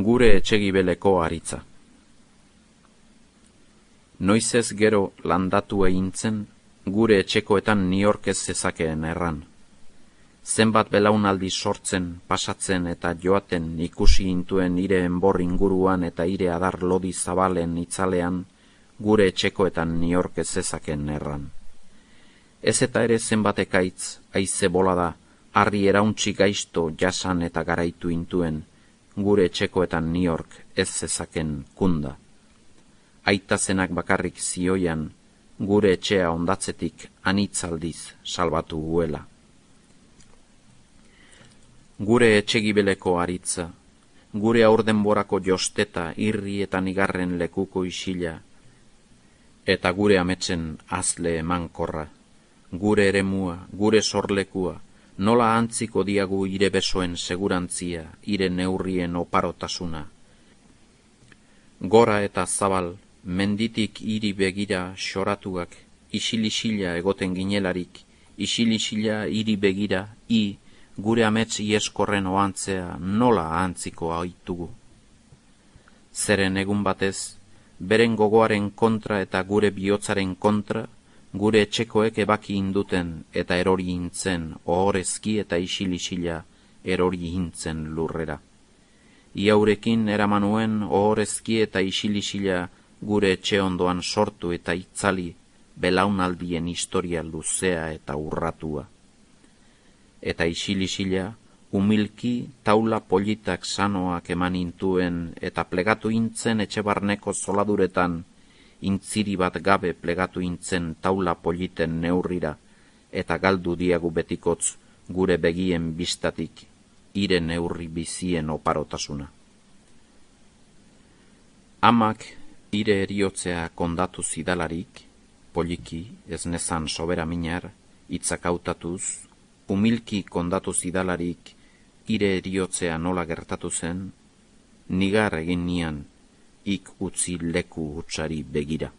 Gure etxegibeleko aritza. Noizez gero landatu egintzen, gure etxekoetan niork ez zezakeen erran. Zenbat belaunaldi sortzen, pasatzen eta joaten ikusi intuen ire enbor inguruan eta ire adar lodi zabalen itzalean, gure etxekoetan niork ez zezakeen erran. Ez eta ere zenbat ekaitz, haize bolada, harri erauntzi gaizto jasan eta garaitu intuen, gure etxekoetan niork ez zezaken kunda. Aita zenak bakarrik zioian, gure etxea ondatzetik anitzaldiz salbatu guela. Gure etxegibeleko aritza, gure aurdenborako josteta irri eta nigarren lekuko isila, eta gure ametsen azle emankorra, gure eremua, gure sorlekua, nola antziko diagu ire besoen segurantzia, ire neurrien oparotasuna. Gora eta zabal, menditik hiri begira xoratuak, isilisila egoten ginelarik, isilisila hiri begira, gure amets ieskorren oantzea nola antziko aitugu. Zeren egun batez, beren gogoaren kontra eta gure bihotzaren kontra, gure etxekoek ebaki induten eta erori intzen ohorezki eta isilisila erori intzen lurrera. Iaurekin eramanuen ohorezki eta isilisila gure etxe ondoan sortu eta itzali belaunaldien historia luzea eta urratua. Eta isilisila, humilki taula politak sanoak eman intuen eta plegatu intzen etxe barneko zoladuretan, intziri bat gabe plegatu intzen taula politen neurrira, eta galdu diagu betikotz gure begien bistatik, ire neurri bizien oparotasuna. Amak ire eriotzea kondatu zidalarik, poliki, ez nezan sobera minar, hitzak hautatuz, humilki kondatu zidalarik, ire eriotzea nola gertatu zen, nigar egin nian, ik utzi leku hutsari begira.